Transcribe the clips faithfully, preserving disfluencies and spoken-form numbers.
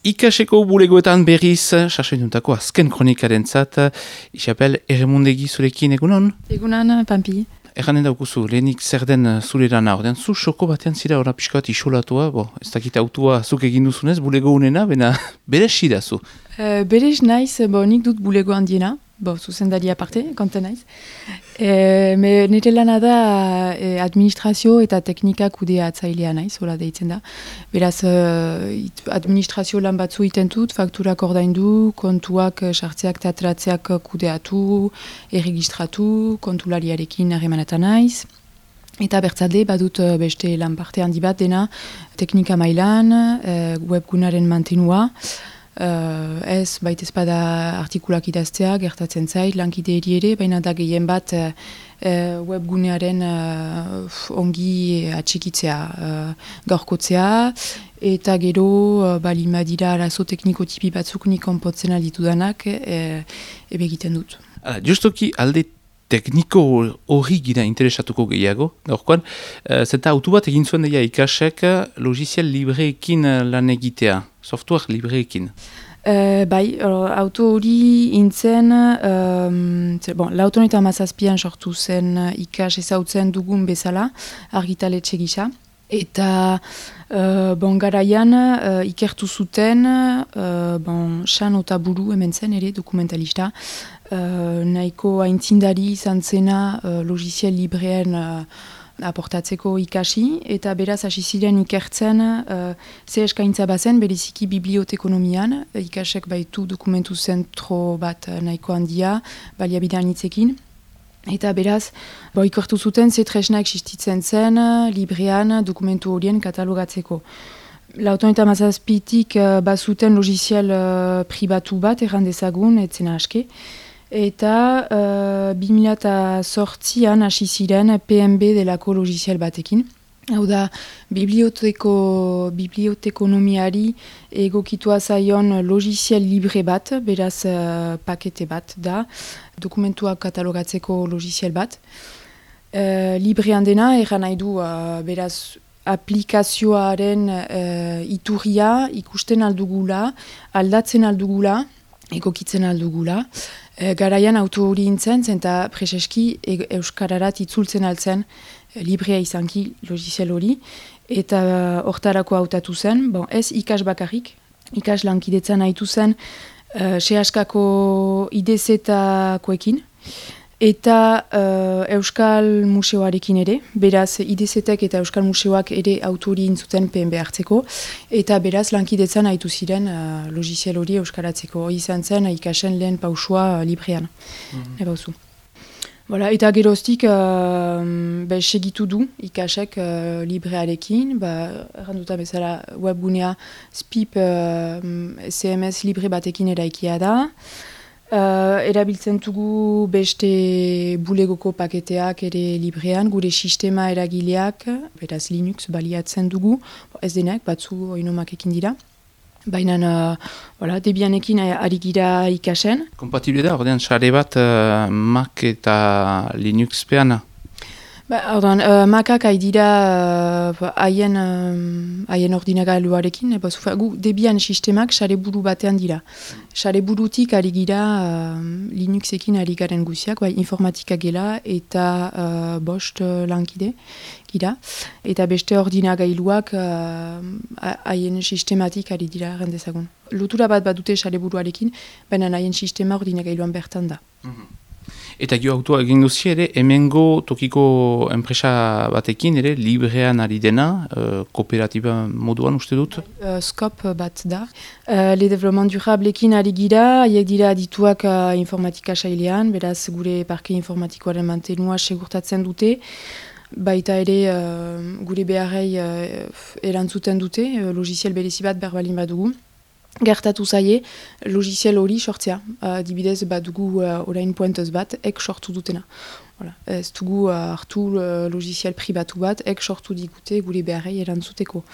Ikaseko bulegoetan berriz, sasoinutako azken kronikaren zat, Isabel Erremundegi zurekin egunon? Egunan, Pampi. Erranen daukuzu, lehenik zer den zure lana, ordean zu xoko batean zira ora pixka bat isolatua, bo, ez dakit autua zuk egin duzunez, bulego unena, bena bere da zu. Uh, Berez naiz, bo, nik dut bulego handiena, bo, zuzendari aparte, konta naiz. E, me nire lana da e, administrazio eta teknika kudeatzailea naiz, hola deitzen da. Beraz, e, administrazio lan batzu iten dut, fakturak ordaindu, kontuak sartzeak eta atratzeak kudeatu, erregistratu, kontulariarekin harremanetan naiz. Eta bertzalde, badut beste lan parte handi bat dena, teknika mailan, e, webgunaren mantenua, Uh, ez, baita ezpada artikulak idaztea, gertatzen zait, lankide eri ere, baina da gehien bat uh, webgunearen uh, ongi atxikitzea, uh, gaurkotzea, eta gero, uh, balima dira arazo tekniko tipi batzuk nik onpotzen alditu danak, e, ebe egiten dut. Hala, justoki alde tekniko hori gira interesatuko gehiago, gaurkoan, uh, zeta autu bat egin zuen deia ikasek logiziel libreekin lan egitea. Software libreekin. Uh, bai, or, auto hori intzen, um, bon, lauton eta mazazpian sortu zen uh, ikas ezautzen dugun bezala, argitaletxe gisa. Eta uh, bon, garaian uh, ikertu zuten, uh, bon, San Otaburu hemen zen ere dokumentalista, uh, nahiko aintzindari izan zena uh, logiziel librean uh, aportatzeko ikasi, eta beraz hasi ziren ikertzen uh, ze eskaintza bazen, bereziki bibliotekonomian, ikasek baitu dokumentu zentro bat nahiko handia, baliabidean hitzekin. Eta beraz, bo, ikertu zuten ze tresna existitzen zen librean dokumentu horien katalogatzeko. Lauton eta mazazpitik uh, bazuten logiziel uh, pribatu bat, erran dezagun, etzena aske. Eta uh, bi mila zortzian hasi ziren P M B delako logiziel batekin. Hau da, biblioteko, bibliotekonomiari egokitua zaion logiziel libre bat, beraz uh, pakete bat da, dokumentuak katalogatzeko logiziel bat. Uh, librean dena, erran nahi du, uh, beraz, aplikazioaren uh, iturria ikusten aldugula, aldatzen aldugula, egokitzen aldugula. E, garaian auto hori intzen, zenta preseski e, euskararat itzultzen altzen e, librea izanki logiziel hori, eta hortarako hautatu zen, bon, ez ikas bakarrik, ikas lankidetzan haitu zen e, sehaskako idezetakoekin, eta uh, Euskal Museoarekin ere, beraz idezetek eta Euskal Museoak ere autori intzuten P M B hartzeko, eta beraz lankidetzan haitu ziren uh, logiziel hori euskaratzeko. Izan zen ikasen lehen pausua uh, librean. Mm-hmm. Ebauzu. Voilà, eta geroztik uh, be, segitu du ikasek uh, librearekin, ba, erranduta bezala webgunea spip uh, C M S libre batekin eraikia da. Uh, erabiltzen dugu beste bulegoko paketeak ere librean, gure sistema eragileak, beraz Linux baliatzen dugu, ez denak, batzu oinomakekin dira. Baina, uh, voilà, Debianekin ari gira ikasen. Kompatible da, ordean, sare bat uh, Mac eta Linux peana? Ba, ordan, uh, Macak haidira haien uh, ordinagailuarekin, eba zufa, gu Debian sistemak sare buru batean dira. Sare burutik ari gira uh, Linuxekin ari garen guziak, bai, informatika gela eta uh, bost uh, lankide gira. Eta beste ordinagailuak haien uh, sistematik ari dira rendezagun. Lotura bat bat dute sare buruarekin, baina haien sistema ordinagailuan bertan da. Mm-hmm. Eta gio autua egin duzi ere, hemengo tokiko enpresa batekin ere, librean ari dena, uh, kooperatiba moduan uste dut? Uh, skop bat da. Uh, le development durablekin ari gira, haiek dira adituak uh, informatika sailean, beraz gure parke informatikoaren mantenua segurtatzen dute, baita ere uh, gure beharrei uh, erantzuten dute, uh, logiziel berezi bat berbalin badugu. Gertatu zaie, logiziel hori sortzea. Uh, dibidez bat dugu uh, orain puentez bat, ek sortu dutena. Voilà. Ez dugu uh, hartu uh, logiziel pribatu bat, ek sortu digute gure beharrei erantzuteko.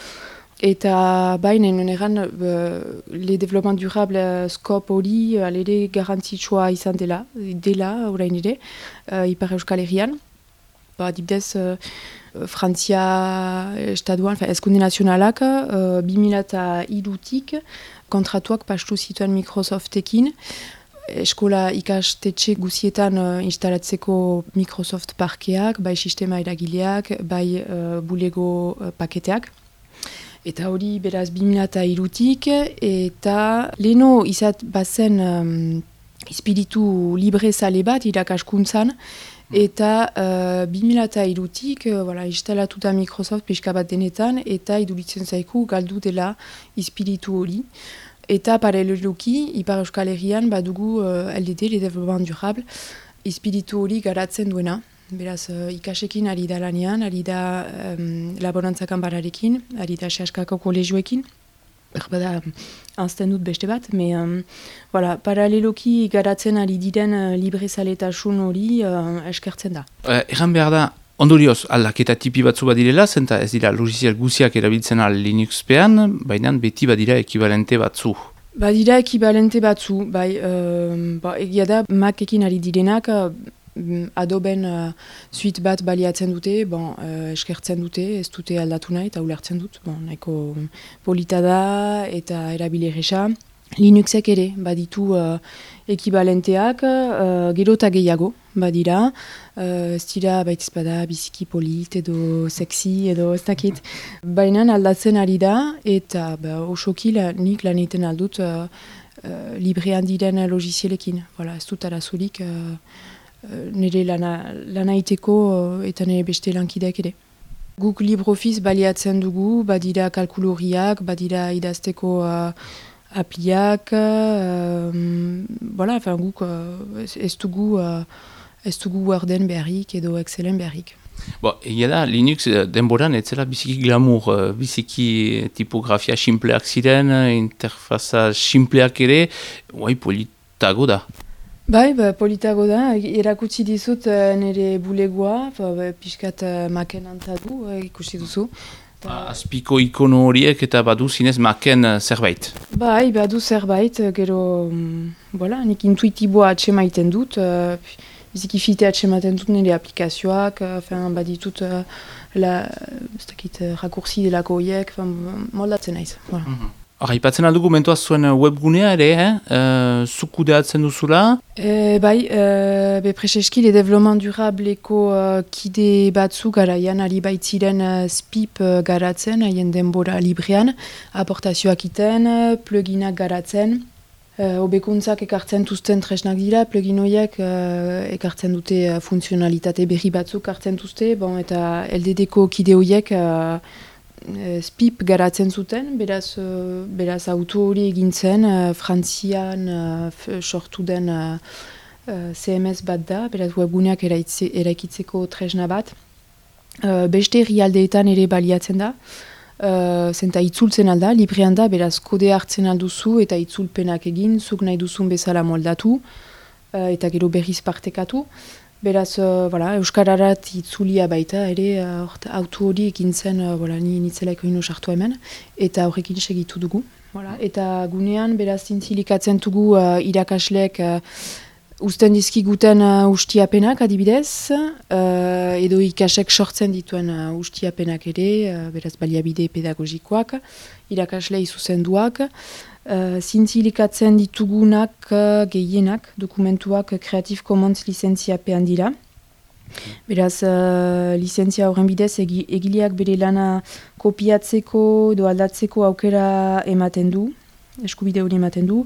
Eta baina eran uh, le development durable uh, skop hori uh, alere garantzitsua izan dela, dela orain ere, uh, Ipar Euskal Herrian. Ba, dibidez, uh, Frantzia estaduan, ezkunde nazionalak, uh, bi mila hirutik kontratuak pastu zituen Microsoftekin, eskola ikastetxe guzietan uh, instalatzeko Microsoft parkeak, bai sistema eragileak, bai uh, bulego uh, paketeak. Eta hori beraz bi mila hirutik, eta leheno izat bazen um, espiritu libre zale bat irakaskuntzan, eta uh, bi mila hirutik uh, voilà, instalatuta Microsoft pixka bat denetan, eta iduritzen zaiku galdu dela espiritu hori. Eta paraleloki, Ipar Euskal Herrian badugu uh, L D D, le développement durable, espiritu hori garatzen duena. Beraz, uh, ikasekin ari da lanean, ari da um, laborantzakan bararekin, ari da sehaskako kolegioekin. Bada, anzten dut beste bat, me, um, voilà, paraleloki garatzen ari diren uh, librezaletasun hori uh, eskertzen da. Uh, Egan behar da, ondorioz, aldaketa tipi batzu badirela, zenta ez dira logizial guziak erabiltzen al Linuxpean, baina beti badira ekibalente batzu. Badira ekibalente batzu, bai, uh, ba, egia da, Macekin ari direnak, uh, Adoben uh, suite bat baliatzen dute, bon, uh, eskertzen dute, ez dute aldatu nahi, eta ulertzen dut, bon, nahiko polita da eta erabile erresa. Linuxek ere, baditu uh, ekibalenteak, uh, gero eta gehiago, badira, uh, ez dira baitiz bada biziki polit edo sexy edo ez dakit. Baina aldatzen ari da, eta ba, osoki la, nik lan egiten aldut uh, uh, librean diren logizielekin. Voilà, ez dut arazurik uh, nire lana, lana iteko eta nire beste lankideak ere. Guk LibreOffice baliatzen dugu, badira kalkuloriak, badira idazteko uh, apliak, uh, voilà, enfin, guk uh, ez dugu, uh, ez dugu Worden beharrik edo Excelen beharrik. Bo, egia da, Linux denboran ez zela biziki glamour, biziki tipografia simpleak ziren, interfaza simpleak ere, guai politago da. Bai, ba, politago da, erakutsi dizut uh, nire bulegoa, ba, pixkat uh, maken antadu, uh, ikusi duzu. Ta... Azpiko ikono horiek eta badu zinez maken uh, zerbait. Bai, badu zerbait, gero, um, voilà, nik intuitiboa atxemaiten dut, uh, biziki fite atxemaiten dut nire aplikazioak, uh, baditut uh, la, uh, rakursi delako horiek, moldatzen naiz. Voilà. Mm-hmm. Hora, ipatzen aldugu mentoaz zuen webgunea ere, eh? Uh, zuk kudeatzen duzula? E, bai, uh, be preseski le développement durableko uh, kide batzu garaian ari baitziren uh, spip uh, garatzen, haien denbora librean, aportazioak iten, pluginak garatzen, uh, hobekuntzak ekartzen tuzten tresnak dira, plugin horiek uh, ekartzen dute uh, funtzionalitate berri batzuk hartzen duzte, bon, eta L D D-ko kide horiek uh, spip garatzen zuten, beraz, uh, beraz auto hori egintzen, uh, Frantzian uh, sortu den uh, uh, C M S bat da, beraz webguneak eraitze, eraikitzeko tresna bat. Uh, beste herrialdeetan ere baliatzen da, uh, zenta itzultzen alda, librean da, beraz kode hartzen alduzu eta itzulpenak egin, zuk nahi duzun bezala moldatu, uh, eta gero berriz partekatu. Beraz, uh, voilà, euskararat itzulia baita, ere uh, auto hori ekin zen, uh, voilà, ni nitzelaiko ino sartu hemen, eta horrekin segitu dugu. Voilà. Eta gunean, beraz, zintzilikatzen dugu uh, irakasleek uh, usten dizkiguten uh, ustiapenak adibidez, uh, edo ikasek sortzen dituen uh, ustiapenak ere, uh, beraz, baliabide pedagogikoak, irakaslei zuzenduak, Uh, zintzilikatzen ditugunak uh, gehienak, dokumentuak uh, Creative Commons lizentziapean dira. Beraz, uh, lizentzia horren bidez egi, egileak bere lana kopiatzeko edo aldatzeko aukera ematen du, eskubide hori ematen du.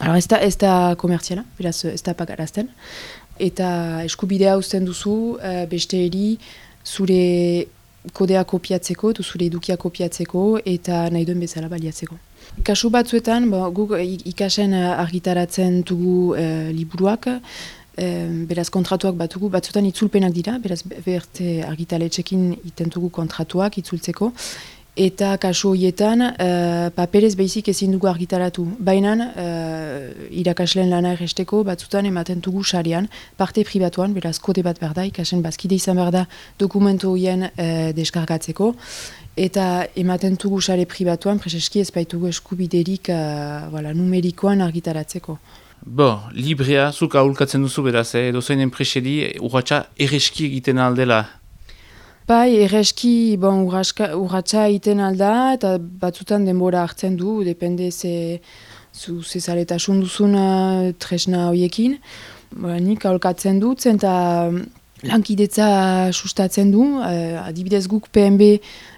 Alors, ez da, ez da komertziala, beraz ez da pagarazten. Eta eskubidea uzten duzu, uh, beste eri zure kodea kopiatzeko, edo zure edukia kopiatzeko eta nahi duen bezala baliatzeko. Kasu batzuetan, bo, guk ikasen argitaratzen dugu e, liburuak, e, beraz kontratuak batugu, batzuetan itzulpenak dira, beraz berte argitaletxekin iten dugu kontratuak itzultzeko, eta kasu horietan e, paperez behizik ezin dugu argitaratu. Baina e, irakasleen lana erresteko batzuetan ematen dugu sarean, parte pribatuan, beraz kode bat behar da, ikasen bazkide izan behar da dokumentu horien e, deskargatzeko, eta ematen dugu sare pribatuan, preseski ez baitugu eskubiderik uh, voilà, numerikoan argitaratzeko. Bo, librea, zuk ahulkatzen duzu beraz, eh? Edo zein enpreseri urratxa erreski egiten aldela? Bai, erreski, bon, urratxa iten alda, eta batzutan denbora hartzen du, depende ze, zu, ze zaletasun duzun uh, tresna horiekin. Ba, nik aholkatzen dut, eta lankidetza sustatzen du, uh, adibidez guk P M B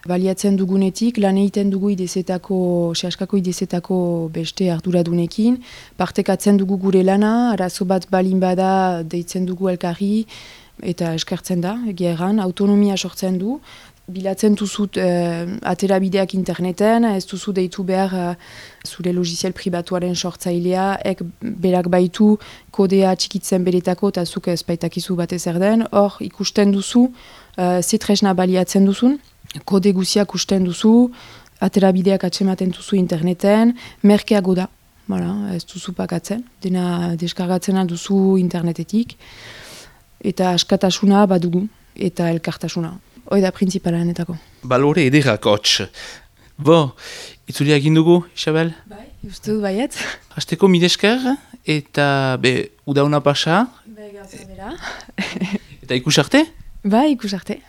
baliatzen dugunetik, lan egiten dugu idezetako, sehaskako idezetako beste arduradunekin, partekatzen dugu gure lana, arazo bat balin bada deitzen dugu elkarri, eta eskertzen da, egia erran, autonomia sortzen du, bilatzen duzut uh, aterabideak interneten, ez duzu deitu behar uh, zure logiziel pribatuaren sortzailea, ek berak baitu kodea txikitzen beretako eta zuk ez baitakizu batez erden, hor ikusten duzu, uh, ze tresna baliatzen duzun, kode guziak usten duzu, aterabideak atsematen duzu interneten, merkeago da, voilà, ez duzu pakatzen, dena deskargatzen alduzu internetetik, eta askatasuna badugu, eta elkartasuna. Hoi da printzipalaenetako. Balore ederak hotx. Bo, itzulia egin dugu, Isabel? Bai, uste dut baiet. Hasteko midesker, eta be, udauna pasa. Bai, gauza bera. Eta ikus arte? Bai, ikus arte.